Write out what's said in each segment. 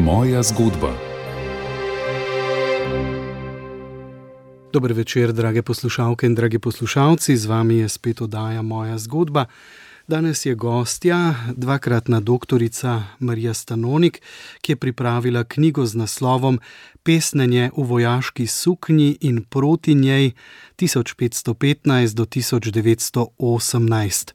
Moja zgodba. Dober večer, drage poslušalke in dragi poslušalci, z vami je spet oddaja Moja zgodba. Danes je gostja, dvakratna doktorica Marija Stanonik, ki je pripravila knjigo z naslovom Pesnjenje v vojaški suknji in proti njej 1515 do 1918.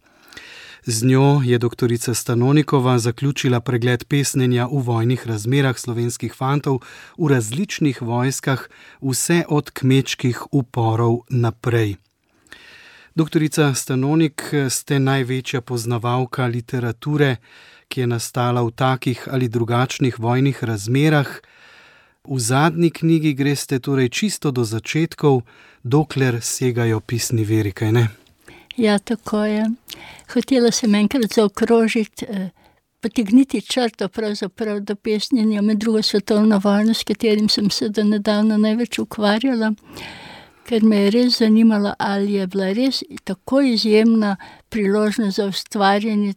Z njo je doktorica Stanonikova zaključila pregled pesnjenja v vojnih razmerah slovenskih fantov v različnih vojskah, vse od kmečkih uporov naprej. Doktorica Stanonik, ste največja poznavalka literature, ki je nastala v takih ali drugačnih vojnih razmerah. V zadnji knjigi greste torej čisto do začetkov, dokler segajo pisni viri, kaj ne? Ja, tako je. Hotela sem enkrat zaokrožiti, potegniti črto pravzaprav do pesnjenja med drugo svetovno vojno, s katerim sem se do nedavno največ ukvarjala, ker me je res zanimalo, ali je bila res tako izjemna priložnost za ustvarjanje,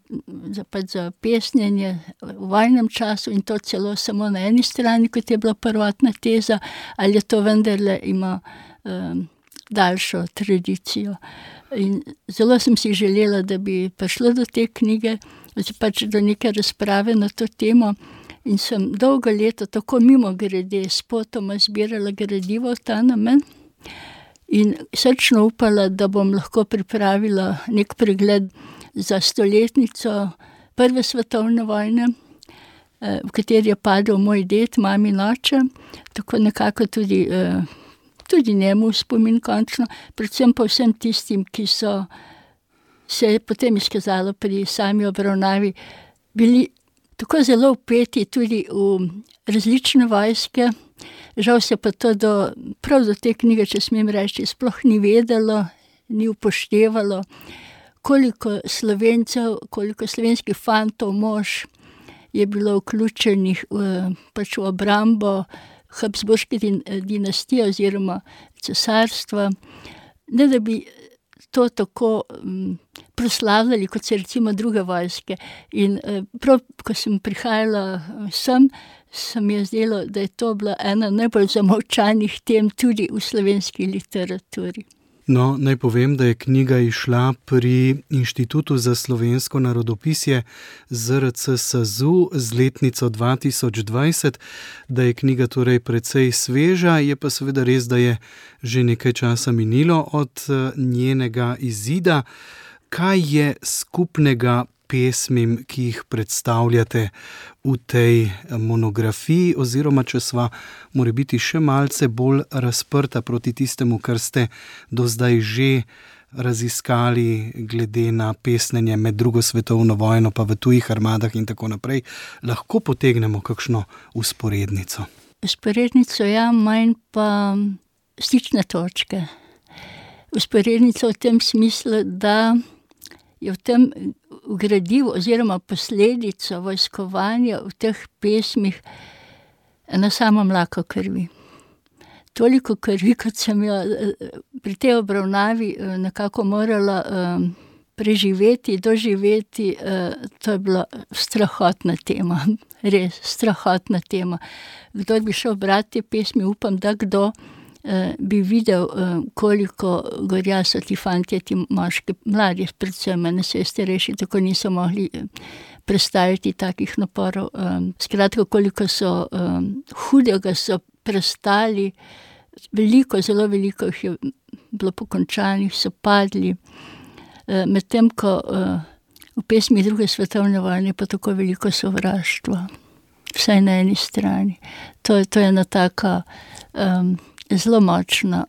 za pesnjenje v vojnem času in to celo samo na eni strani, kot je bila prvotna teza, ali je to vendarle ima daljšo tradicijo. In zelo sem si želela, da bi prišlo do te knjige, pač do neke razprave na to temo in sem dolgo leto tako mimogrede spotoma zbirala gradivo v ta namen in srčno upala, da bom lahko pripravila nek pregled za stoletnico Prve svetovne vojne, v kateri je padel moj ded, mamin oče, tako nekako tudi njemu spomin končno, predvsem pa vsem tistim, ki so se je potem izkazalo pri sami obravnavi, bili tako zelo vpeti tudi v različne vojske. Žal se pa to prav do te knjige, če smem reči, sploh ni vedelo, ni upoštevalo, koliko Slovencev, koliko slovenskih fantov, mož je bilo vključenih pač v obrambo Habsburške dinastije oziroma cesarstva, ne da bi to tako proslavljali, kot se recimo druge vojske. In prav, ko sem prihajala sem, se mi je zdelo, da je to bila ena najbolj zamolčanih tem tudi v slovenski literaturi. No, naj povem, da je knjiga izšla pri Inštitutu za slovensko narodopisje ZRC SAZU z letnico 2020, da je knjiga torej precej sveža, je pa seveda res, da je že nekaj časa minilo od njenega izida. Kaj je skupnega pesmim, ki jih predstavljate v tej monografiji, oziroma če sva morebiti še malce bolj razprta proti tistemu, kar ste do zdaj že raziskali glede na pesnjenje med drugo svetovno vojno pa v tujih armadah in tako naprej, lahko potegnemo kakšno vzporednico? Vzporednico ja, manj pa stične točke. Vzporednico v tem smislu, da je v tem gradivu oziroma posledico vojskovanja v teh pesmih ena sama mlaka krvi. Toliko krvi, kot sem jo pri tej obravnavi nekako morala preživeti, doživeti, to je bila strahotna tema, res strahotna tema. Kdor bi šel brati te pesmi, upam, da kdo bi videl, koliko gorja so ti fantje, ti moški, mladi predvsem, ne se starejši, tako niso mogli prestajati takih naporov. Skratka, koliko so hudega so prestali, veliko, zelo veliko jih je bilo pokončanih, so padli, medtem ko v pesmi druge svetovne vojne pa tako veliko sovraštva, vsaj na eni strani. To je ena taka zelo močna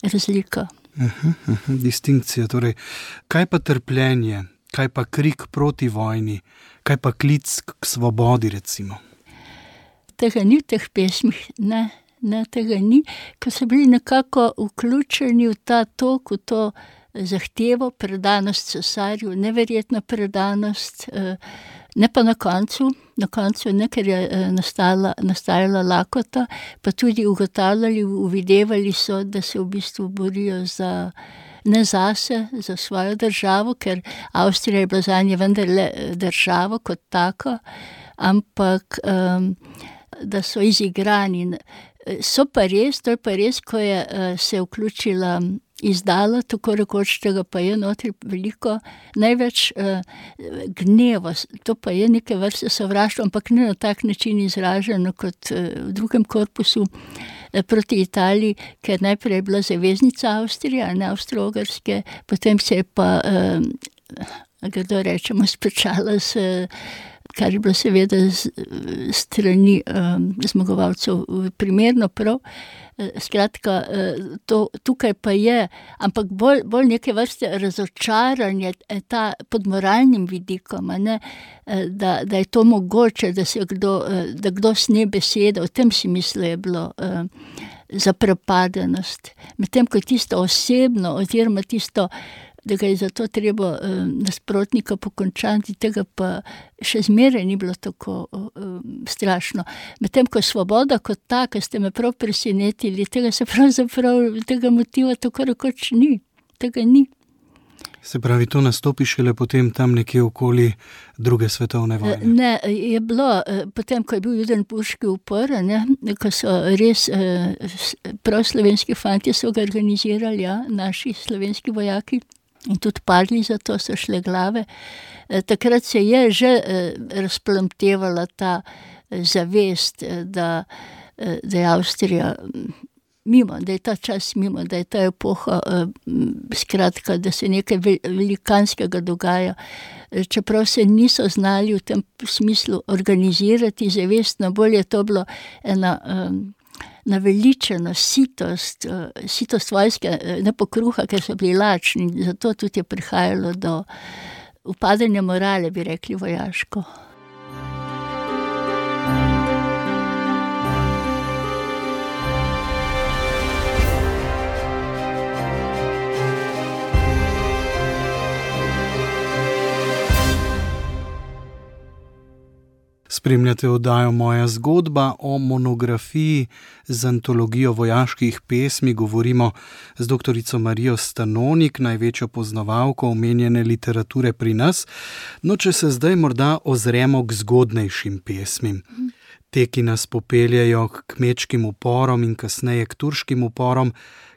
razlika. Distinkcija, torej. Kaj pa trpljenje, kaj pa krik proti vojni, kaj pa klic k svobodi, recimo? Tega ni v teh pesmih, ne, tega ni, ker so bili nekako vključeni v ta tok, v to zahtevo, predanost cesarju, neverjetna predanost, ne pa na koncu ne, ker je nastajala lakota, pa tudi ugotavljali, uvidevali so, da se v bistvu borijo ne zase, za svojo državo, ker Avstrija je bila zanje vendarle država kot taka, ampak da so izigrani. So pa res, to je pa res, ko je se vključila izdala, tako rekoč, tega pa je notri veliko, največ gneva, to pa je neke vrste sovraštvo, ampak ne na tak način izraženo kot v drugem korpusu proti Italiji, ker najprej je bila zaveznica Avstrija, ne Avstro-Ogrske, potem se je pa, kdo rečemo, spečala kar je bilo seveda strani zmagovalcev primerno prav. Skratka, tukaj pa je, ampak bolj neke vrste razočaranje pod moralnim vidikom, ne, da je to mogoče, da kdo sne besede, o tem si misli je bilo zaprepadenost. Medtem ko tisto osebno, oziroma tisto, da ga je zato treba nasprotnika pokončati, tega pa še zmeraj ni bilo tako strašno. Medtem ko svoboda kot taka, ste me prav presenetili, tega motiva tako rekoč ni, tega ni. Se pravi, to nastopi šele potem tam nekje okoli druge svetovne vojne? Ne, je bilo, potem, ko je bil judenburški upor, ne, ko so res prav slovenski fantje so ga organizirali, ja, naši slovenski vojaki, in tudi padli za to, so šle glave. Takrat se je že razplamtevala ta zavest, da je Avstrija mimo, da je ta čas mimo, da je ta epoha, skratka, da se nekaj velikanskega dogaja. Čeprav se niso znali v tem smislu organizirati zavestno, bolj je to bilo ena naveličena sitost vojske, ne po kruha, ker so bili lačni, zato tudi je prihajalo do upadanja morale, bi rekli vojaško. Spremljate oddajo Moja zgodba. O monografiji z antologijo vojaških pesmi govorimo z doktorico Marijo Stanonik, največjo poznavalko omenjene literature pri nas. No, če se zdaj morda ozremo k zgodnejšim pesmim. Te, ki nas popeljajo k kmečkim uporom in kasneje k turškim uporom,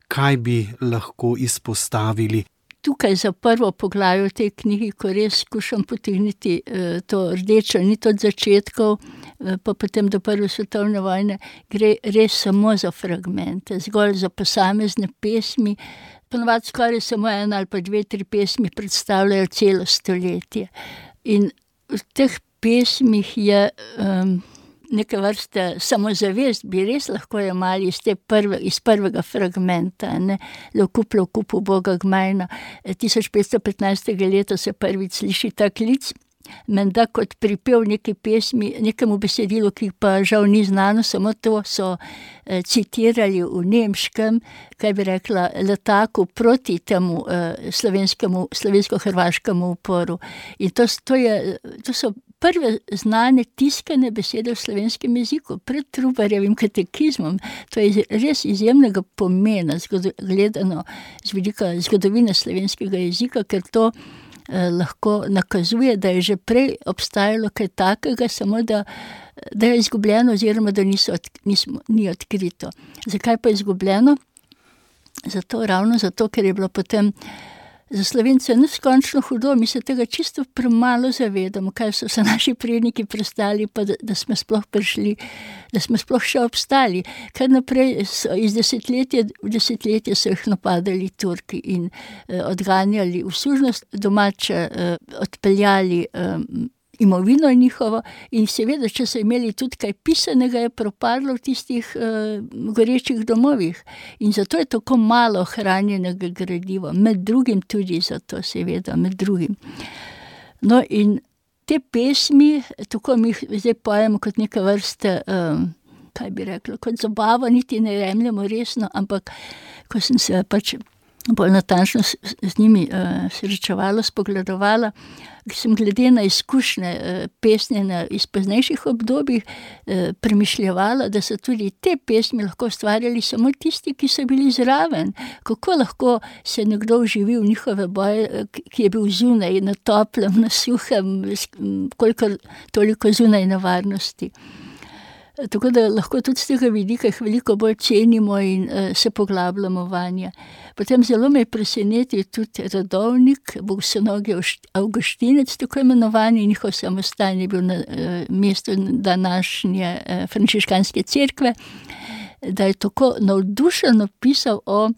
kaj bi lahko izpostavili? Tukaj za prvo poglavje v tej knjigi, ko res skušam potegniti to rdečo nit od začetkov, pa potem do prve svetovne vojne, gre res samo za fragmente, zgolj za posamezne pesmi. Ponovadi skoraj samo ena ali pa 2-3 pesmi predstavljajo celo stoletje. In v teh pesmih je neke vrste samozavest, bi res lahko jemali iz prvega fragmenta, ne, Levkup Boga Gmajna. 1515. leta se prvič sliši ta klic, menda kot pripev neki pesmi, nekemu besedilu, ki pa žal ni znano, samo to so citirali v nemškem, kaj bi rekla, letaku proti temu slovensko-hrvaškemu uporu. In to so prve znane tiskane besede v slovenskem jeziku, pred Trubarjevim katekizmom. To je res izjemnega pomena, gledano z vidika zgodovine slovenskega jezika, ker to lahko nakazuje, da je že prej obstajalo kaj takega, samo da je izgubljeno oziroma da ni odkrito. Zakaj pa je izgubljeno? Ravno zato, ker je bilo potem za Slovence neskončno hudo, mi se tega čisto premalo zavedamo, kaj so se naši predniki prestali, pa da smo sploh prišli, da smo sploh še obstali. Kar naprej iz desetletja v desetletje so jih napadali Turki in odganjali v sužnost domače, odpeljali imovino njihovo in seveda, če so imeli tudi kaj pisanega, je propadlo v tistih gorečih domovih. In zato je tako malo hranjenega gradiva, med drugim tudi zato, seveda, med drugim. No in te pesmi, tako mi jih zdaj pojemo kot neka vrste, kaj bi rekla, kot zabava, niti ne jemljemo resno, ampak ko sem se pač bolj natančno z njimi srečevala, spogledovala, sem glede na izkušnje pesnjenja iz poznejših obdobij premišljevala, da so tudi te pesmi lahko ustvarjali samo tisti, ki so bili zraven. Kako lahko se nekdo vživi v njihove boje, ki je bil zunaj, na toplem, na suhem, koliko toliko zunaj nevarnosti. Tako da lahko tudi z tega vidika jih veliko bolj cenimo in se poglabljamo vanje. Potem zelo me je presenetil tudi Radovnik, bogoslovni Avguštinec, tako imenovani, njihov samostan je bil na mestu današnje frančiškanske cerkve, da je tako navdušeno pisal o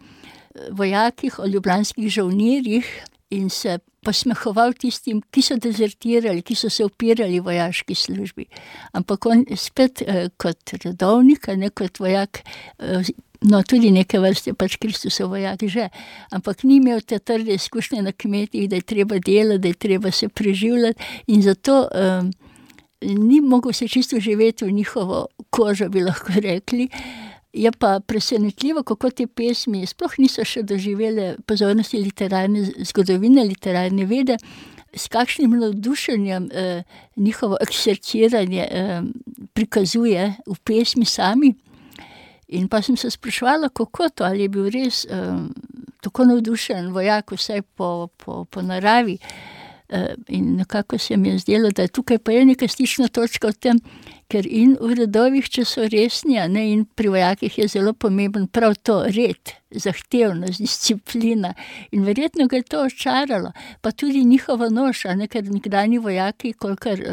vojakih, o ljubljanskih žolnirjih in se posmehoval tistim, ki so dezertirali, ki so se upirali vojaški službi. Ampak on spet kot redovnik, ne kot vojak, no tudi neke vrste pač Kristusov vojak že, ampak ni imel te trde izkušnje na kmetih, da je treba delati, da je treba se preživljati in zato ni mogel se čisto živeti v njihovo kožo, bi lahko rekli. Je pa presenetljivo, kako te pesmi sploh niso še doživele pozornosti literarne zgodovine, literarne vede, s kakšnim navdušenjem njihovo ekserciranje prikazuje v pesmi sami. In pa sem se spraševala, kako to, ali je bil res tako navdušen vojak, vsaj po naravi. In nekako se mi je zdelo, da tukaj pa je neka stična točka v tem, ker in v redovih, če so resni, ne, in pri vojakih je zelo pomemben prav to red, zahtevnost, disciplina. In verjetno ga je to očaralo. Pa tudi njihova noša, ne, ker nekdanji vojaki, kolikor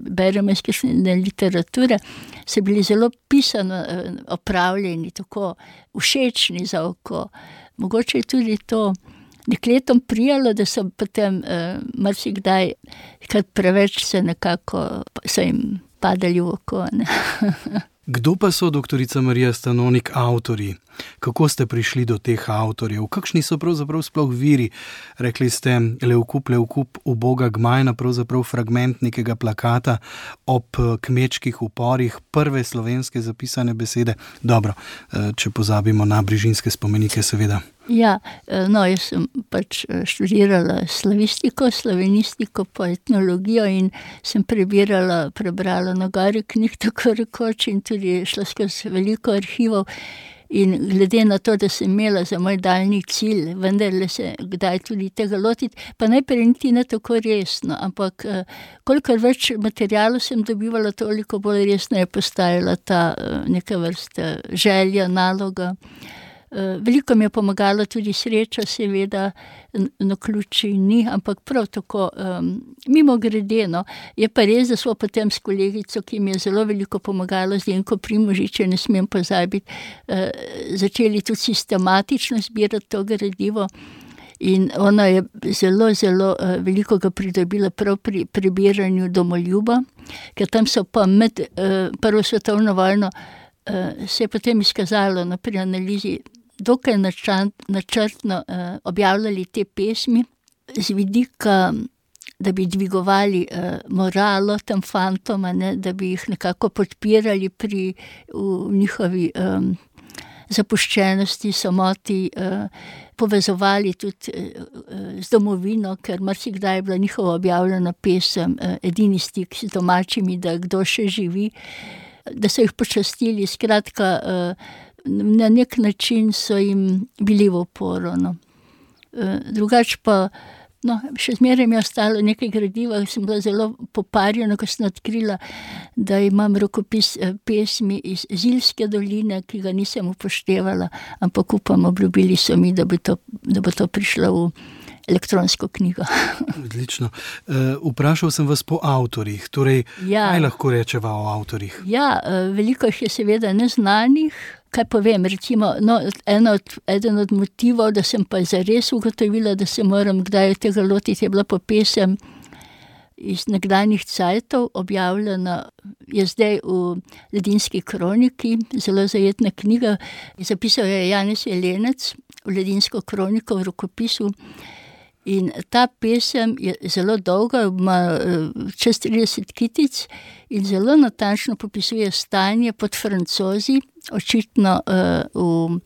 beremo iz kakšne literature, so bili zelo pisano opravljeni, tako všečni za oko. Mogoče je tudi to dekletom prijalo, da so potem marsikdaj, kar preveč se nekako, so jim padali v oko. Kdo pa so, doktorica Marija Stanonik, avtorji? Kako ste prišli do teh avtorjev? Kakšni so pravzaprav sploh viri? Rekli ste Levkup, uboga gmajna, pravzaprav fragment nekega plakata ob kmečkih uporih, prve slovenske zapisane besede. Dobro, če pozabimo na brižinske spomenike, seveda. Ja, no, jaz sem pač študirala slavistiko, slovenistiko, pa etnologijo in sem prebrala na gori knjig, tako rekoč, in tudi šla skozi veliko arhivov. In glede na to, da sem imela za moj daljni cilj, vendarle se kdaj tudi tega lotiti, pa najprej niti ne tako resno, ampak kolikor več materialov sem dobivala, toliko bolj resno je postajala ta neka vrsta želja, naloga. Veliko mi je pomagala tudi sreča, seveda, naključij ni, ampak prav tako mimogrede, no. Je pa res, da smo potem s kolegico, ki mi je zelo veliko pomagala, Zdenko Primožič, ne smem pozabiti, začeli tudi sistematično zbirati to gradivo. In ona je zelo veliko ga pridobila prav pri prebiranju Domoljuba, ker tam so pa med prvo svetovno vojno se je potem izkazalo pri analizi dokaj načrtno objavljali te pesmi z vidika, da bi dvigovali moralo tem fantom, da bi jih nekako podpirali v njihovi zapuščenosti, samoti, povezovali tudi z domovino, ker marsikdaj je bila njihova objavljena pesem edini stik z domačimi, da kdo še živi, da so jih počastili, skratka, na nek način so jim bili v oporo. No. Drugače pa, no, še zmeraj mi je ostalo nekaj gradiva, sem bila zelo poparjena, ko sem odkrila, da imam rokopis pesmi iz Zilske doline, ki ga nisem upoštevala, ampak upam, obljubili so mi, da bo to prišlo v elektronsko knjigo. Odlično. Vprašal sem vas po avtorjih, torej, kaj lahko rečeva o avtorjih? Ja, veliko jih je seveda neznanih. Kaj povem, recimo, no, eden od motivov, da sem pa zares ugotovila, da se moram kdaj tega lotiti, je bila pa pesem iz nekdanjih cajtov, objavljena je zdaj v Ledinski kroniki, zelo zajetna knjiga. Zapisal je Janez Jelenec v Ledinsko kroniko v rokopisu. In ta pesem je zelo dolga, ima čez 30 kitic in zelo natančno popisuje stanje pod Francozi, očitno v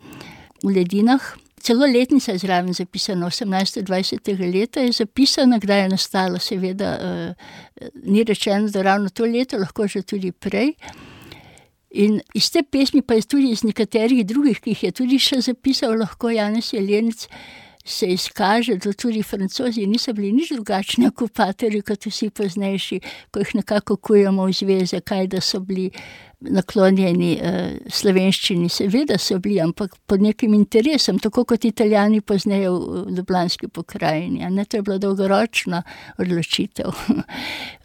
Ledinah. Celo letnica je zraven zapisana, 1820. leta je zapisana, kdaj je nastala, seveda ni rečeno, da ravno to leto, lahko že tudi prej. In iz te pesmi, pa je tudi iz nekaterih drugih, ki jih je tudi še zapisal lahko Janez Jelenec, se izkaže, da tudi Francozi niso bili nič drugačni okupatorji kot vsi poznejši, ko jih nekako kujemo v zveze, kaj da so bili naklonjeni slovenščini, seveda so bili, ampak pod nekim interesom, tako kot Italijani pozneje v Ljubljanski pokrajini. Ne, to je bila dolgoročna odločitev.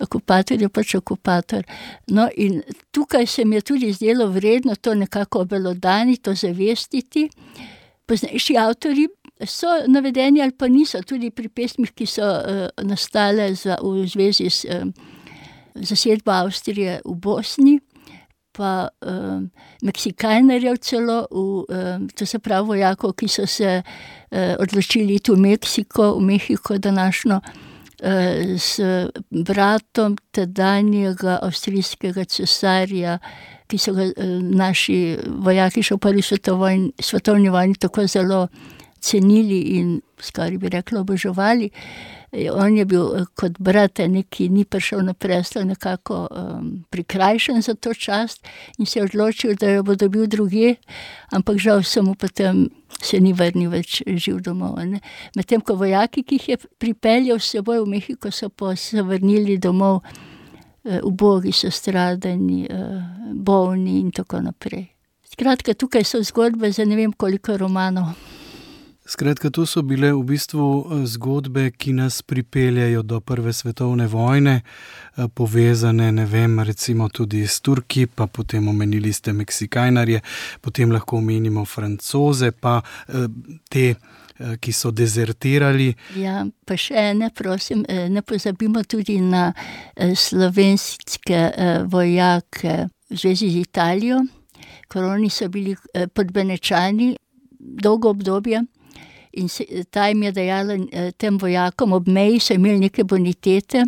Okupator je pač okupator. No, in tukaj se mi je tudi zdelo vredno to nekako obelodaniti, to zavestiti. Poznejši avtorji so navedeni ali pa niso, tudi pri pesmih, ki so nastale v zvezi s zasedbo Avstrije v Bosni, pa Meksikajnerjev celo, to se pravi vojakov, ki so se odločili iti v Mehiko današnjo, s bratom tedanjega avstrijskega cesarja, ki so ga naši vojaki še v prvi svetovni vojni tako zelo cenili in skoraj bi rekla oboževali. On je bil kot brat, ki ni prišel na prestol, nekako prikrajšan za to čast in se je odločil, da jo bo dobil drugje, ampak žal samo potem se ni vrnil več živ domov. Medtem ko vojaki, ki jih je pripeljal s seboj v Mehiko, so pa se vrnili domov ubogi, sestradani, bolni in tako naprej. Skratka, tukaj so zgodbe za ne vem koliko romanov. Skratka, to so bile v bistvu zgodbe, ki nas pripeljajo do Prve svetovne vojne, povezane, ne vem, recimo tudi s Turki, pa potem omenili ste Meksikajnarje, potem lahko omenimo Francoze, pa te, ki so dezertirali. Ja, pa še prosim, ne pozabimo tudi na slovenske vojake v zvezi z Italijo, ker oni so bili pod Benečani dolgo obdobje. In ta jim je dajala tem vojakom ob meji, so imeli neke bonitete,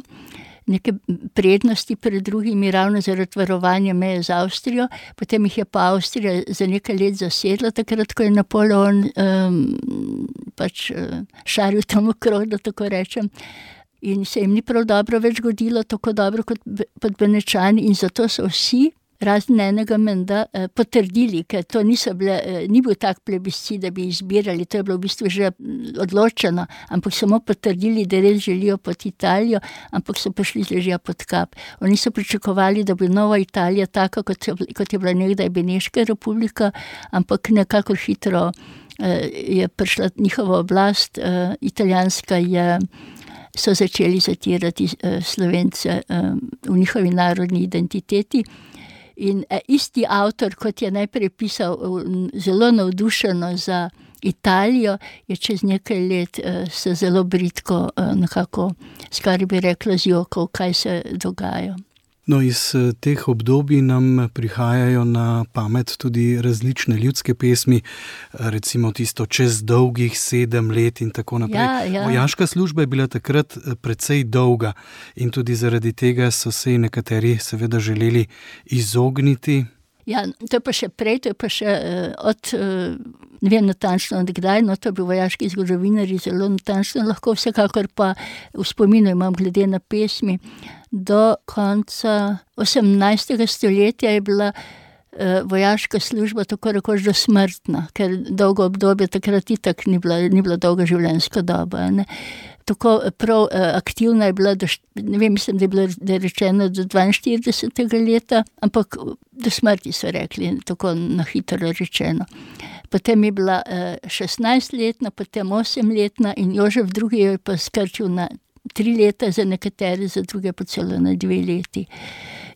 neke prednosti pred drugimi, ravno zaradi varovanja meje z Avstrijo. Potem jih je pa Avstrija za nekaj let zasedla, takrat, ko je Napoleon šaril tam okrog, da tako rečem. In se jim ni prav dobro več godilo, tako dobro kot pod Benečani, in zato so vsi, razen enega menda, potrdili, ker to ni bil tak plebiscit, da bi izbirali, to je bilo v bistvu že odločeno, ampak samo potrdili, da res želijo pod Italijo, ampak so prišli z ležja pod kap. Oni so pričakovali, da bi nova Italija taka, kot je bila nekdaj Beneška republika, ampak nekako hitro je prišla njihova oblast, italijanska so začeli zatirati Slovence v njihovi narodni identiteti. In isti avtor, kot je najprej pisal zelo navdušeno za Italijo, je čez nekaj let se zelo bridko nekako, skoraj bi rekla, zjokal, kaj se dogaja. No, iz teh obdobij nam prihajajo na pamet tudi različne ljudske pesmi, recimo tisto Čez dolgih 7 let in tako naprej. Ja. Vojaška služba je bila takrat precej dolga in tudi zaradi tega so se nekateri seveda želeli izogniti. Ja, to je pa še prej, to je pa še od, ne vem natančno od kdaj, no to bi vojaški zgodovinarji zelo natančno lahko, vsekakor pa v spominu imam glede na pesmi. Do konca 18. stoletja je bila vojaška služba tako rekoč dosmrtna, ker dolgo obdobje takrat itak ni bila dolga življenjska doba, ne. Tako prav aktivna je bila, ne vem, mislim, da je rečeno do 42. leta, ampak do smrti so rekli, tako na hitro rečeno. Potem je bila 16-letna, potem 8-letna in Jožef II jo je pa skrčil na 3 leta, za nekatere, za druge pa celo na 2 leti.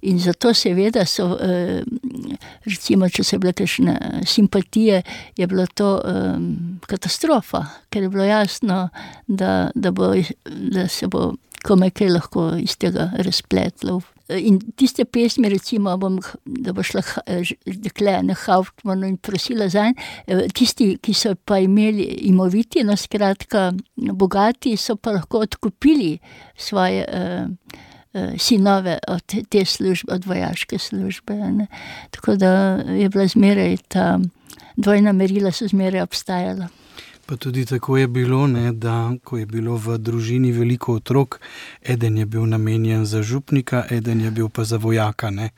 In zato seveda so, recimo, če so bile kakšne simpatije, je bilo to katastrofa, ker je bilo jasno, da se bo komaj kaj lahko iz tega razpletlo. In tiste pesmi, recimo, da bo šla dekle na Hauptmannu in prosila zanj, tisti, ki so pa imeli imoviti, no skratka bogati, so pa lahko odkupili svoje sinove od te službe, od vojaške službe. Ne. Tako da je bila zmeraj ta dvojna merila so zmeraj obstajala. Pa tudi tako je bilo, ne, da ko je bilo v družini veliko otrok, eden je bil namenjen za župnika, eden je bil pa za vojaka, ne.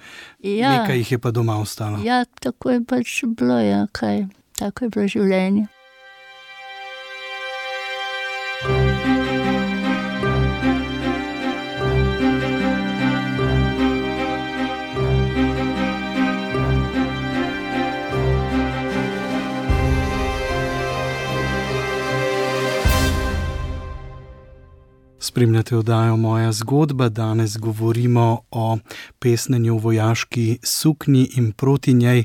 Ja. Nekaj jih je pa doma ostalo. Ja, tako je pač bilo, ja, kaj. Tako je bilo življenje. Spremljate oddajo Moja zgodba. Danes govorimo o pesnenju v vojaški suknji in proti njej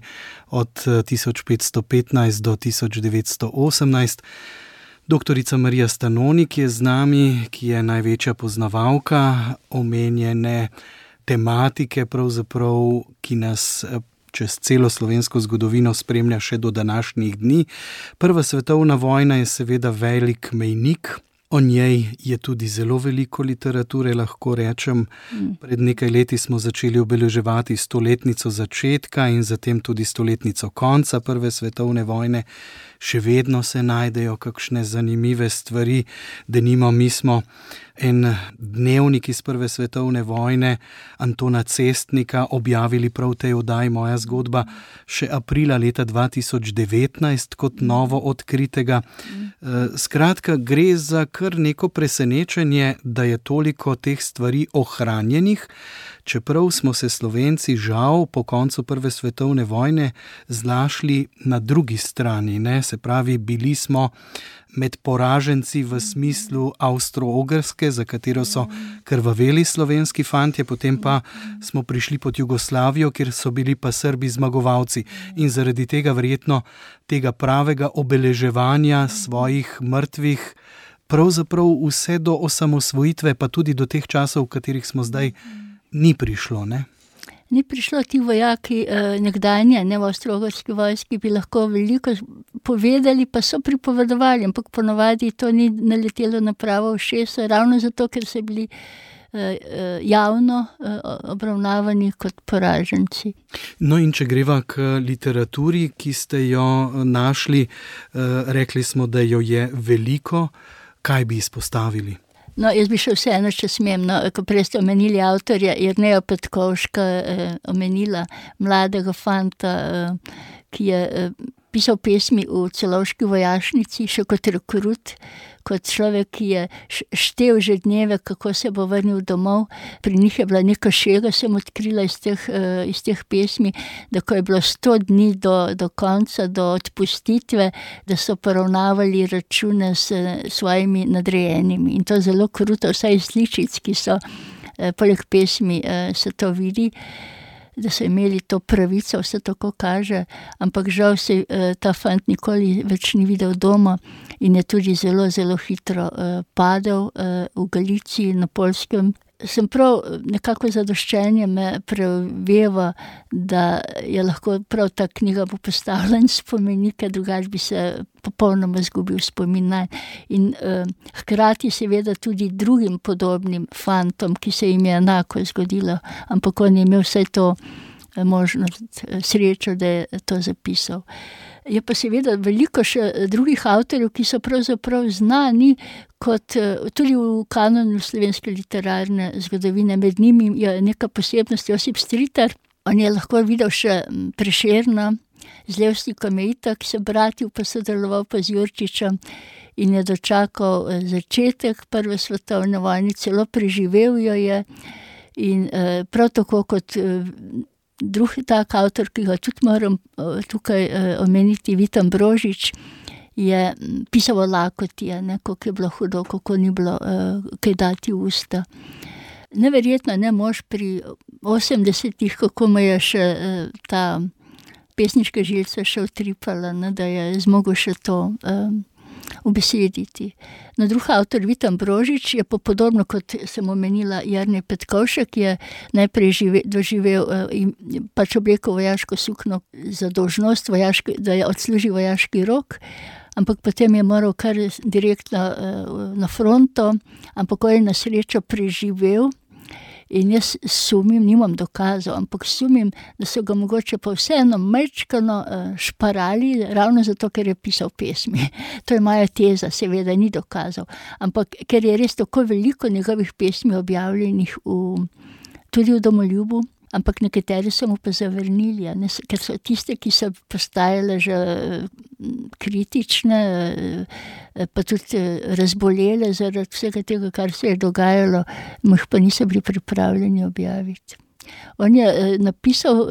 od 1515 do 1918. Doktorica Marija Stanonik je z nami, ki je največja poznavalka omenjene tematike, pravzaprav, ki nas čez celo slovensko zgodovino spremlja še do današnjih dni. Prva svetovna vojna je seveda velik mejnik. O njej je tudi zelo veliko literature, lahko rečem. Pred nekaj leti smo začeli obeleževati 100-letnico začetka in zatem tudi 100-letnico konca Prve svetovne vojne. Še vedno se najdejo kakšne zanimive stvari. Denimo, mi smo en dnevnik iz Prve svetovne vojne Antona Cestnika objavili prav v tej oddaji Moja zgodba še aprila leta 2019 kot novo odkritega. Skratka, gre za kar neko presenečenje, da je toliko teh stvari ohranjenih, čeprav smo se Slovenci žal po koncu Prve svetovne vojne znašli na drugi strani, ne? Se pravi, bili smo med poraženci v smislu Avstro-Ogrske, za katero so krvaveli slovenski fantje, potem pa smo prišli pod Jugoslavijo, kjer so bili pa Srbi zmagovalci. In zaradi tega verjetno tega pravega obeleževanja svojih mrtvih pravzaprav vse do osamosvojitve, pa tudi do teh časov, v katerih smo zdaj, ni prišlo, ne? Ni prišlo. Ti vojaki nekdanje, v Avstro-Ogrski vojski bi lahko veliko povedali, pa so pripovedovali, ampak ponovadi to ni naletelo na pravo ušesa, ravno zato, ker so bili javno obravnavani kot poraženci. No, in če greva k literaturi, ki ste jo našli, rekli smo, da jo je veliko. Kaj bi izpostavili? No, jaz bi še vseeno, če smem, ko prej ste omenili avtorja, Jerneja Petkovška, omenila mladega fanta, ki je pisal pesmi v Celovški vojašnici, še kot rekrut, kot človek, ki je štel že dneve, kako se bo vrnil domov. Pri njih je bila neka šega, sem odkrila iz teh pesmi, da ko je bilo 100 dni do konca, do odpustitve, da so poravnavali račune s svojimi nadrejenimi. In to zelo kruto, vsaj iz sličic, ki so poleg pesmi, se to vidi, da so imeli to pravico, vse tako kaže, ampak žal se ta fant nikoli več ni videl doma in je tudi zelo, zelo hitro padel v Galiciji, na Poljskem. Sem prav nekako zadoščenje me preveva, da je lahko prav ta knjiga bo postavila in spomenike, drugače bi se popolnoma izgubil spomin nanj. In hkrati seveda tudi drugim podobnim fantom, ki se jim je enako zgodilo, ampak on je imel vse to možnost, srečo, da je to zapisal. Je pa seveda veliko še drugih avtorjev, ki so pravzaprav znani kot tudi v kanonu slovenske literarne zgodovine. Med njimi je neka posebnost Josip Stritar. On je lahko videl še Prešerna, z Levstikom je itak se bratil, pa sodeloval pa z Jurčičem in je dočakal začetek Prve svetovne vojne, celo preživel jo je. In prav tako kot drugi tak avtor, ki ga tudi moram tukaj omeniti, Vitan Brožič, je pisal o lakoti, kako je bilo hudo, kako ni bilo kaj dati v usta. Neverjetno, mož pri 80-ih, kako mu je še ta pesniška žilca še utripala, da je zmogel še to ubesediti. No, drug avtor, Vitan Brožič, je pa podobno, kot sem omenila, Jernej Petkovšek, je najprej doživel pač oblekel vojaško sukno za dolžnost, da je odslužil vojaški rok, ampak potem je moral kar direktno na fronto, ampak on je na srečo preživel. In jaz sumim, nimam dokazov, ampak sumim, da so ga mogoče pa vseeno majčkano šparali, ravno zato, ker je pisal pesmi. To je moja teza, seveda ni dokazov. Ampak ker je res tako veliko njegovih pesmi objavljenih tudi v Domoljubu, ampak nekateri so mu pa zavrnili, ker so tiste, ki so postajale že kritične, pa tudi razbolele zaradi vsega tega, kar se je dogajalo, mu jih pa niso bili pripravljeni objaviti. On je napisal,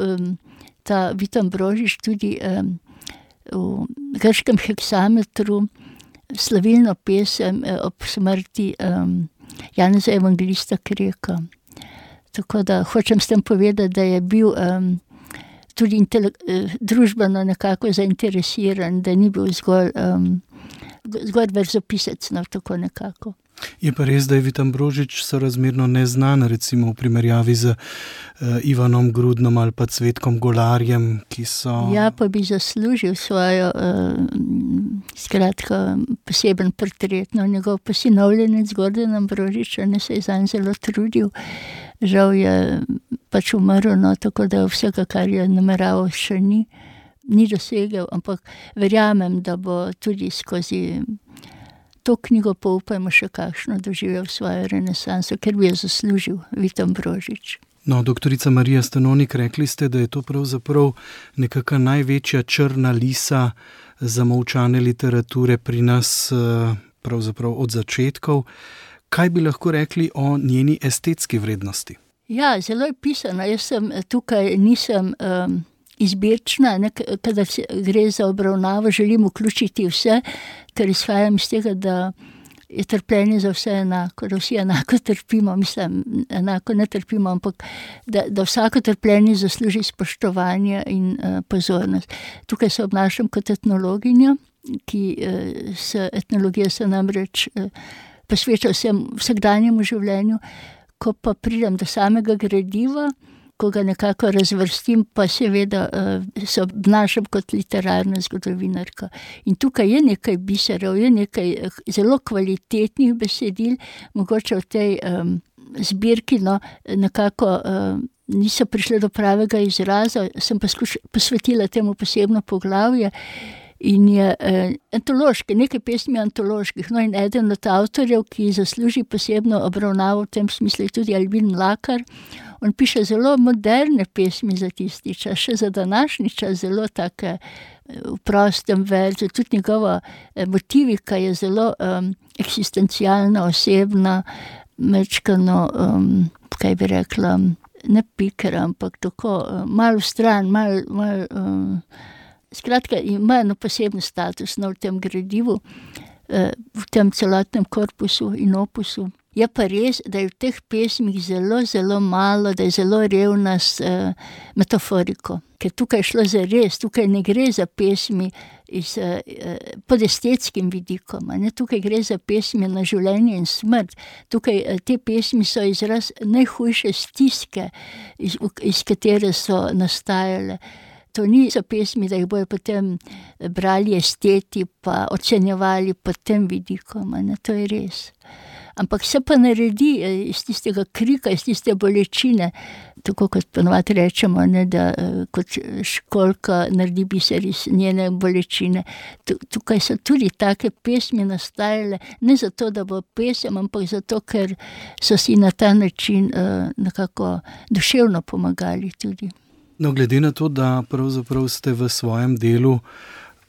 ta Vitan Brožič, tudi v grškem heksametru slavilno pesem ob smrti Janeza Evangelista Kreka. Tako da hočem s tem povedati, da je bil tudi družbeno nekako zainteresiran, da ni bil zgolj verzopisec, no, tako nekako. Je pa res, da je Vid Ambrožič sorazmerno neznan, recimo v primerjavi z Ivanom Grudnom ali pa Cvetkom Golarjem, ki so... Ja, pa bi zaslužil svojo, skratka, poseben portret. No, njegov posinovljenec Gordon Ambrožič, ne, se je zanj zelo trudil. Žal je pač umrl, no, tako da vsega, kar je nameraval, še ni dosegel, ampak verjamem, da bo tudi skozi to knjigo Poupajmo še kakšno doživel svojo renesanso, ker bi jo zaslužil Vid Ambrožič. No, doktorica Marija Stanonik, rekli ste, da je to pravzaprav nekaka največja črna lisa zamolčane literature pri nas pravzaprav od začetkov. Kaj bi lahko rekli o njeni estetski vrednosti? Ja, zelo je pisana. Jaz sem tukaj, nisem izbirčna, kadar gre za obravnavo, želim vključiti vse, ker izhajam iz tega, da je trpljenje za vse enako, da vsi enako trpimo, mislim, enako ne trpimo, ampak da vsako trpljenje zasluži spoštovanje in pozornost. Tukaj se obnašam kot etnologinja, etnologija se namreč posveča vsakdanjemu življenju. Ko pa pridem do samega gradiva, ko ga nekako razvrstim, pa seveda se obnašam kot literarna zgodovinarka. In tukaj je nekaj biserov, je nekaj zelo kvalitetnih besedil, mogoče v tej zbirki, no, nekako niso prišle do pravega izraza, sem pa posvetila temu posebno poglavje. In je antološke, nekaj pesmi antoloških. No, in eden od avtorjev, ki zasluži posebno obravnavo v tem smislu, je tudi Albin Mlakar. On piše zelo moderne pesmi za tisti čas, še za današnji čas, zelo take v prostem verzu. Tudi njegova motivika je zelo eksistencialna, osebna, mečkano, kaj bi rekla, ne pikera, ampak tako malo stran, malo skratka, ima eno poseben status, no, v tem gradivu, v tem celotnem korpusu in opusu. Je pa res, da je v teh pesmih zelo, zelo malo, da je zelo revna s metaforiko. Ker tukaj je šlo za res, tukaj ne gre za pesmi pod estetskim vidikom, ne? Tukaj gre za pesmi na življenje in smrt. Tukaj te pesmi so izraz najhujše stiske, iz katere so nastajale. To niso pesmi, da jih bojo potem brali esteti pa ocenjevali pod tem vidikom, ne? To je res. Ampak se pa naredi iz tistega krika, iz tiste bolečine, tako kot ponovadi rečemo, ne, da kot školjka naredi biser iz njene bolečine. Tukaj so tudi take pesmi nastajale, ne zato, da bo pesem, ampak zato, ker so si na ta način nekako duševno pomagali tudi. No, glede na to, da pravzaprav ste v svojem delu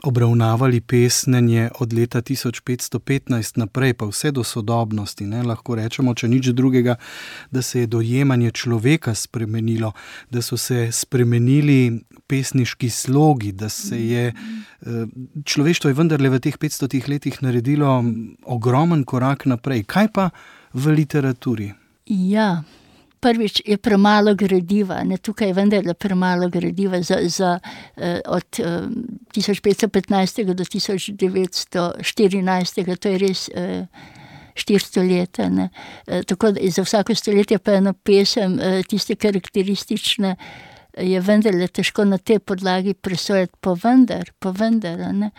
obravnavali pesnenje od leta 1515 naprej, pa vse do sodobnosti, ne, lahko rečemo, če nič drugega, da se je dojemanje človeka spremenilo, da so se spremenili pesniški slogi, da se je človeštvo je vendarle v teh 500 letih naredilo ogromen korak naprej. Kaj pa v literaturi? Ja, prvič je premalo gradiva, ne, tukaj je vendarle premalo gradiva od 1515. do 1914. To je res 400 let. Ne. Tako da za vsako stoletje pa eno pesem, tiste karakteristične, je vendarle težko na tej podlagi presojati, pa vendar, ne.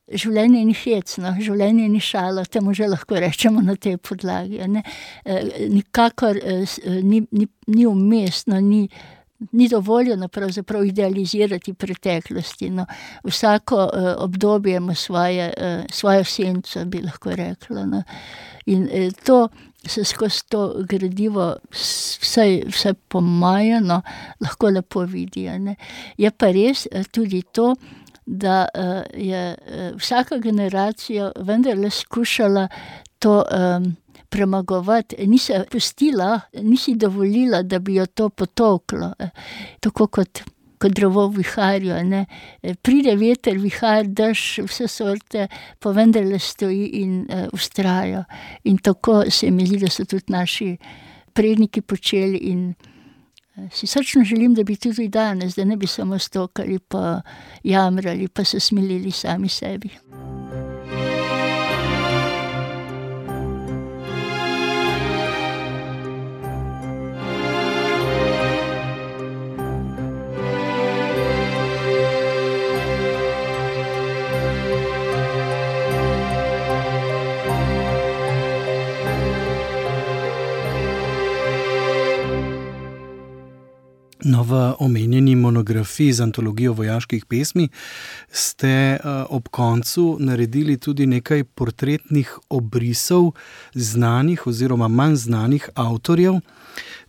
Življenje ni hecno, življenje ni šalo, temu že lahko rečemo na tej podlagi. Ne? Nikakor ni umestno, ni dovoljeno pravzaprav idealizirati preteklosti. No? Vsako obdobje ima svojo senco, bi lahko rekla. No? In to se skozi to gradivo, vsaj po moje, no, lahko lepo vidi. Ne? Je pa res tudi to, da je vsaka generacija vendarle skušala to premagovati, ni se pustila, ni si dovolila, da bi jo to potolklo. Tako kot kot drevo v viharju, ne. Pride veter, vihar, dež, vse sorte, pa vendarle stoji in vztraja. In tako se mi zdi, da so tudi naši predniki počeli in si srčno želim, da bi tudi danes, da ne bi samo stokali pa jamrali pa se smilili sami sebi. No, v omenjeni monografiji z antologijo vojaških pesmi ste ob koncu naredili tudi nekaj portretnih obrisov znanih oziroma manj znanih avtorjev.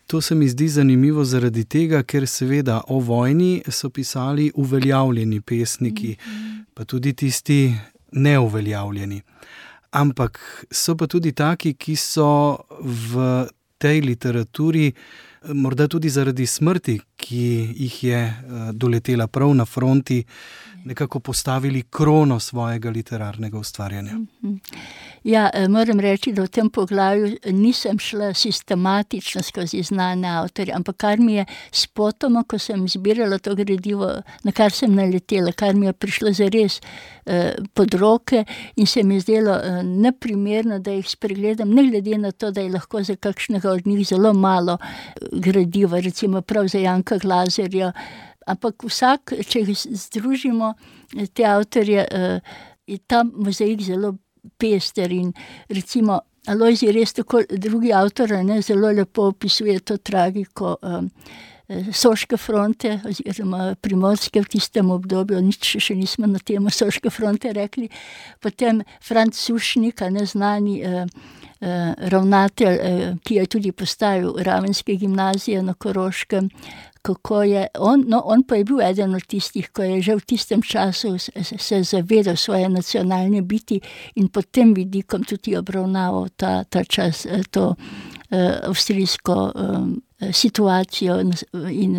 To se mi zdi zanimivo zaradi tega, ker seveda o vojni so pisali uveljavljeni pesniki, pa tudi tisti neuveljavljeni. Ampak so pa tudi taki, ki so v tej literaturi morda tudi zaradi smrti, ki jih je doletela prav na fronti, nekako postavili krono svojega literarnega ustvarjanja. Ja, moram reči, da v tem poglavju nisem šla sistematično skozi znane avtorje, ampak kar mi je spotoma, ko sem zbirala to gradivo, na kar sem naletela, kar mi je prišlo zares pod roke in se mi zdelo neprimerno, da jih spregledam, ne glede na to, da je lahko za kakšnega od njih zelo malo gradiva, recimo prav za Janka Glazerja. Ampak vsak, če jih združimo, te avtorje, je ta mozaik zelo pester in recimo Alojzij res tako, drugi avtor, zelo lepo opisuje to tragiko Soške fronte oziroma Primorske v tistem obdobju, nič še nismo na temo Soške fronte rekli. Potem Franc Sušnik, neznani ravnatelj, ki je tudi postavil Ravenske gimnazije na Koroškem, kako je on pa je bil eden od tistih, ko je že v tistem času se zavedal svoje nacionalne biti in pod tem vidikom tudi obravnaval ta čas, to avstrijsko situacijo in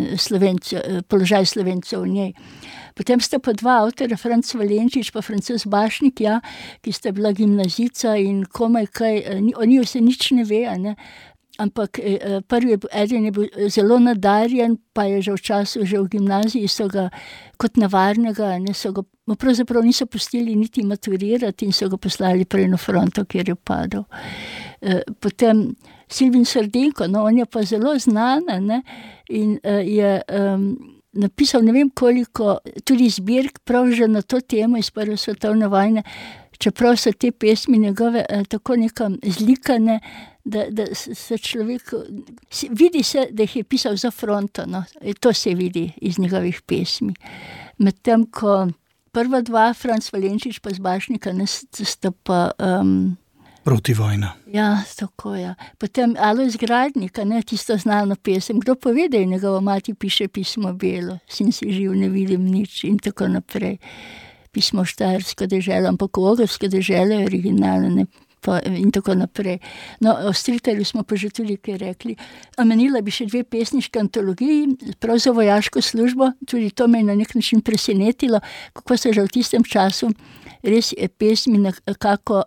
položaj Slovencev v njej. Potem sta pa dva avtorja, Franc Valenčič pa Francoz Bašnik, ki sta bila gimnazijca in komaj kaj, o njih se nič ne ve, ampak eden je bil zelo nadarjen, pa je že v času, že v gimnaziji so ga kot nevarnega, pravzaprav niso pustili niti maturirati in so ga poslali prej na fronto, kjer je padel. Potem Silvin Srdenko, on je pa zelo znan, in je napisal ne vem koliko tudi zbirk prav že na to temo iz Prve svetovne vojne, čeprav so te pesmi njegove tako nekam zlikane, da se človek, vidi se, da jih je pisal za fronto, to se vidi iz njegovih pesmi. Medtem ko prva dva, Franc Valenčič pa z Bašnika, sta pa protivojna. Ja, tako, ja. Potem Alojz Gradnik, tisto znano pesem, kdo pove, da je njegova mati piše pismo belo, sin si živ, ne vidim nič in tako naprej. Pismo Štajersko deželo, ampak Ogrsko deželo je originalno, in tako naprej. O Stritarju smo pa že tudi kaj rekli. Omenila bi še dve pesniške antologiji, prav za vojaško službo, tudi to me je na nek način presenetilo, kako so že v tistem času res pesmi nekako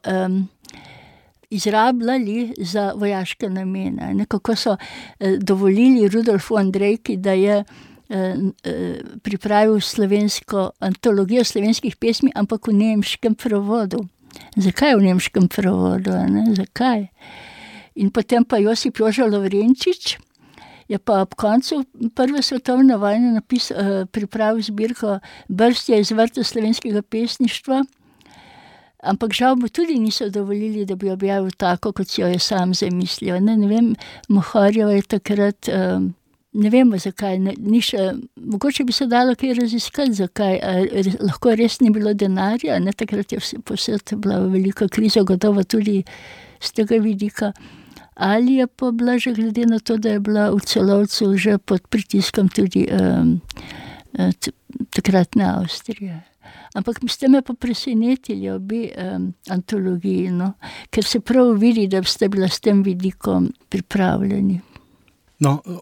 izrabljali za vojaške namene. Kako so dovolili Rudolfu Andrejki, da je pripravil slovensko antologijo slovenskih pesmi, ampak v nemškem prevodu. Zakaj v nemškem prevodu? Zakaj? In potem pa Josip Joža Lovrenčič je pa ob koncu Prve svetovne vojne pripravil zbirko Brstje iz vrta slovenskega pesništva, ampak žal mu tudi niso dovolili, da bi objavil tako, kot si jo je sam zamislil. Ne vem, Mohorjeva je takrat, ne vemo zakaj, mogoče bi se dalo kaj raziskati, zakaj, lahko res ni bilo denarja, takrat je posod bila velika kriza, gotovo tudi z tega vidika, ali je pa bila že glede na to, da je bila v Celovcu že pod pritiskom tudi takratne Avstrije. Ampak ste me pa presenetili obe antologiji, ker se prav vidi, da ste bila s tem vidikom pripravljeni.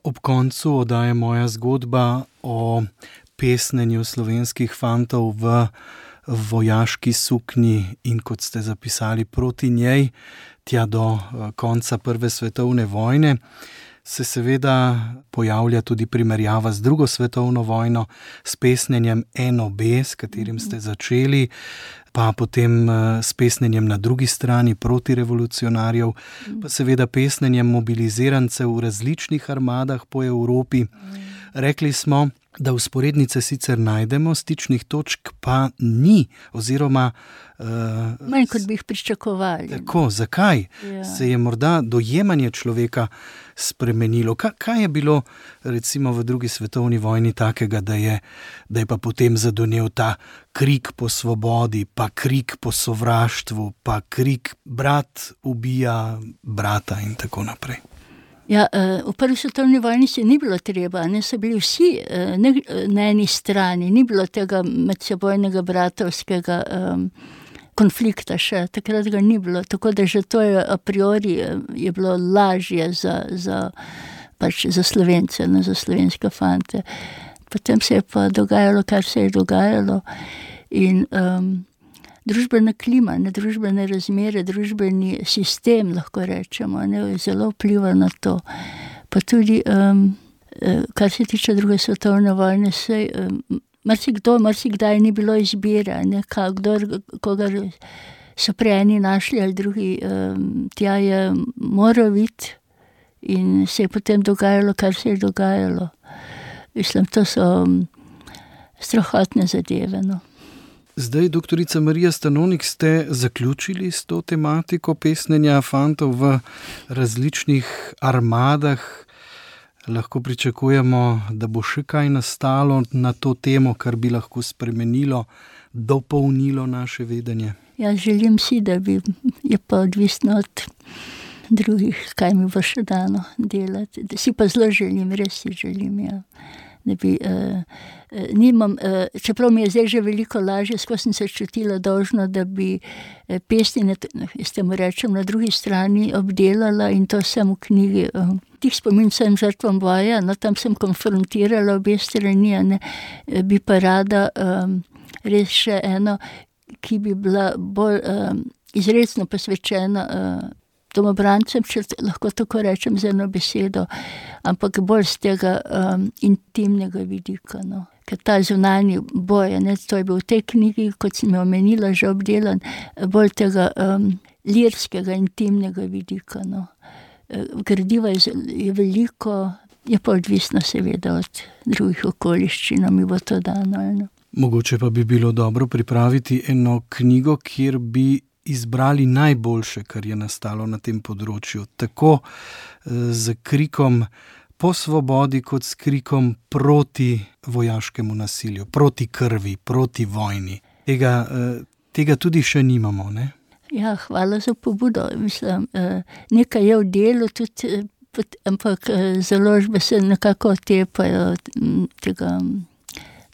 Ob koncu oddaje Moja zgodba o pesnenju slovenskih fantov v vojaški suknji in, kot ste zapisali, proti njej, tja do konca Prve svetovne vojne, se seveda pojavlja tudi primerjava z Drugo svetovno vojno, s pesnenjem NOB, s katerim ste začeli, pa potem s pesnenjem na drugi strani protirevolucionarjev, pa seveda pesnenjem mobilizirancev v različnih armadah po Evropi. Rekli smo, da vzporednice sicer najdemo, stičnih točk pa ni, oziroma manj, kot bi jih pričakovali. Tako, zakaj? Ja. Se je morda dojemanje človeka spremenilo? Kaj je bilo recimo v Drugi svetovni vojni takega, da je pa potem zadonel ta krik po svobodi, pa krik po sovraštvu, pa krik brat ubija brata in tako naprej? Ja, v Prvi svetovni vojni se ni bilo treba, so bili vsi na eni strani, ni bilo tega medsebojnega bratovskega konflikta še, takrat ga ni bilo, tako da že to je a priori je bilo lažje za Slovence, za slovenske fante. Potem se je pa dogajalo, kar se je dogajalo in družbena klima, družbene razmere, družbeni sistem, lahko rečemo, zelo vpliva na to. Pa tudi, kar se tiče Druge svetovne vojne, marsikdaj ni bilo izbire, koga so prej eni našli ali drugi, tja je moral iti in se je potem dogajalo, kar se je dogajalo. Mislim, to so strahotne zadeve, no. Zdaj, doktorica Marija Stanonik, ste zaključili s to tematiko pesnenja fantov v različnih armadah. Lahko pričakujemo, da bo še kaj nastalo na to temo, kar bi lahko spremenilo, dopolnilo naše vedenje. Ja, želim si, da bi, je pa odvisno od drugih, kaj mi bo še dano delati. Si pa zelo želim, res si želim, ja. Da bi, čeprav mi je zdaj že veliko lažje, skozi sem se čutila dolžno, da bi pesnine, jaz temu rečem, na drugi strani obdelala in to sem v knjigi. Tih spomin sem žrtvam boja, tam sem konfrontirala obe strani, bi pa rada res še eno, ki bi bila bolj izrecno posvečena domobrancem, če lahko tako rečem z eno besedo, ampak bolj z tega intimnega vidika. No. Ker ta zunanji boj, to je bil v tej knjigi, kot sem jo omenila, že obdelan, bolj tega lirskega, intimnega vidika. No. Gradiva je veliko, je pa odvisno seveda od drugih okoliščin, mi bo to dano. No. Mogoče pa bi bilo dobro pripraviti eno knjigo, kjer bi izbrali najboljše, kar je nastalo na tem področju, tako z krikom po svobodi, kot s krikom proti vojaškemu nasilju, proti krvi, proti vojni. Tega tudi še nimamo, ne? Ja, hvala za pobudo. Mislim, nekaj je v delu, tudi, ampak založbe se nekako otepajo tega.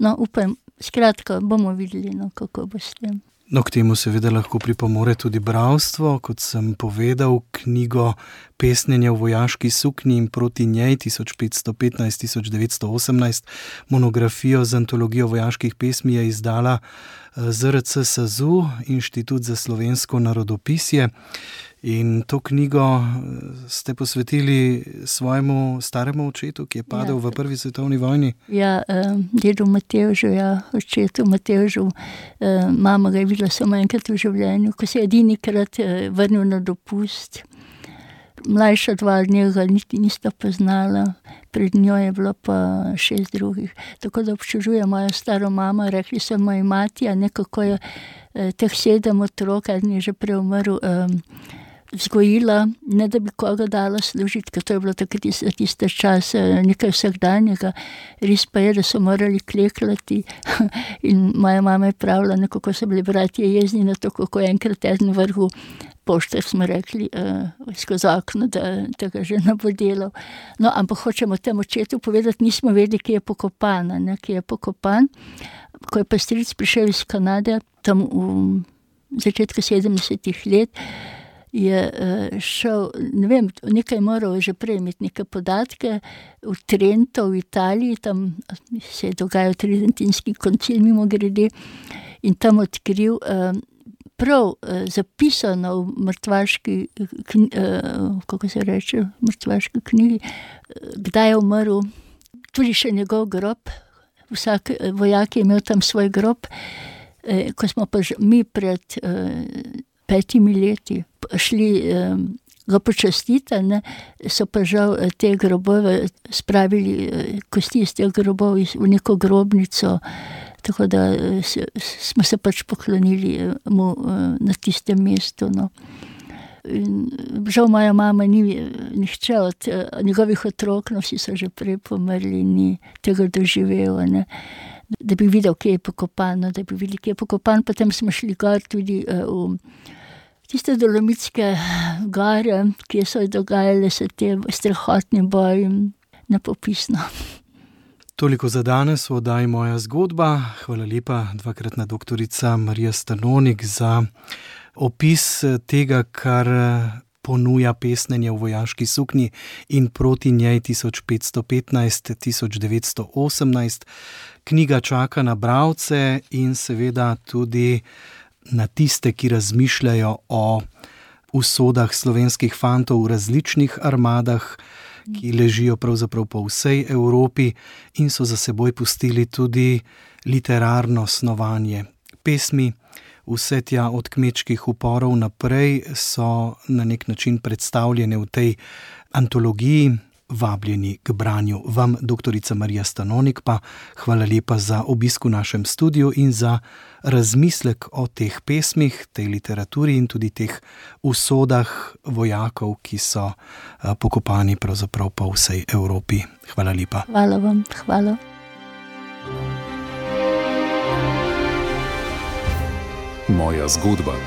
No, upam, skratka, bomo videli, kako bo s tem. No, k temu seveda lahko pripomore tudi bralstvo, kot sem povedal, knjigo Pesnjenja v vojaški suknji in proti njej 1515-1918, monografijo z antologijo vojaških pesmi je izdala ZRC SAZU, Inštitut za slovensko narodopisje. In to knjigo ste posvetili svojemu staremu očetu, ki je padel v Prvi svetovni vojni? Ja, dedu Matevžu, očetu Matevžu. Mama ga je videla samo enkrat v življenju, ko se je edinikrat vrnil na dopust. Mlajša dva od njega niti nista poznala, pred njo je bilo pa 6 drugih. Tako da občudujem mojo staro mamo, rekli so moji mati, nekako je teh 7 otrok, eden je že prej umrl, vzgojila, ne da bi koga dala služiti, ker to je bilo takrat tiste čas nekaj vsakdanjega. Res pa je, da so morali klekljati in moja mama je pravila, nekako so bili bratje jezni na to, kako enkrat eden vrhu poštar, smo rekli, skozi okno, da ga že ne bo delal. No, ampak hočemo temu očetu povedati, nismo vedeli, kje je pokopan, kje je pokopan. Ko je pa stric prišel iz Kanade, tam v začetku 70 let, je šel, ne vem, nekaj moral že prej imeti neke podatke, v Trento, v Italiji, tam se je dogajal Tridentinski koncil mimogrede, in tam odkril prav zapisano v mrtvaški kako se reče, v mrtvaški knjigi, kdaj je umrl, tudi še njegov grob, vsak vojak je imel tam svoj grob. Ko smo pa mi pred 5 leti šli ga počastiti, ne, so pa žal te grobove spravili, kosti iz teh grobov v neko grobnico, tako da smo se pač poklonili mu na tistem mestu. No. In žal moja mama ni nihče od njegovih otrok, no vsi so že prej pomrli, ni tega doživel, ne. Da bi videl, kje je pokopan, da bi videli, kje je pokopan. Potem smo šli gor tudi v tiste Dolomitske gore, kje so dogajale se te strahotni boji, nepopisno. Toliko za danes v oddaji Moja zgodba. Hvala lepa, dvakratna doktorica Marija Stanonik, za opis tega, kar ponuja pesnenje v vojaški suknji in proti njej 1515-1918. Knjiga čaka na bralce in seveda tudi na tiste, ki razmišljajo o usodah slovenskih fantov v različnih armadah, ki ležijo pravzaprav po vsej Evropi in so za seboj pustili tudi literarno snovanje. Pesmi, vse tja od kmečkih uporov naprej, so na nek način predstavljene v tej antologiji. Vabljeni k branju. Vam, doktorica Marija Stanonik, pa hvala lepa za obisk v našem studiu in za razmislek o teh pesmih, tej literaturi in tudi teh usodah vojakov, ki so pokopani pravzaprav po vsej Evropi. Hvala lepa. Hvala vam, hvala. Moja zgodba.